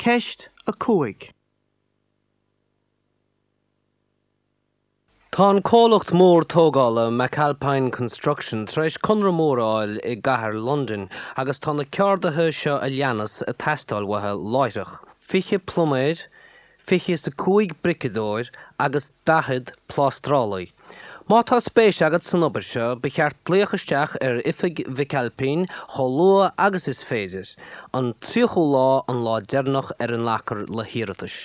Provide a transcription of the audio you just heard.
Ceist 5. Tá an comhlacht mór tógála McAlpine Construction tar éis conradh mór a fháil i gcathair Londain agus tá na ceardaithe seo a leanas ag teastáil uathu láithreach, 20 pluiméir, 25 briceadóir agus 40 plástrálaí. Má tá spéis agat san obair seo, ba cheart glaoch isteach ar oifig McAlpine chomh luath agus is féidir. An 30ú lá an lá deireanach ar a nglacfar le hiarratais.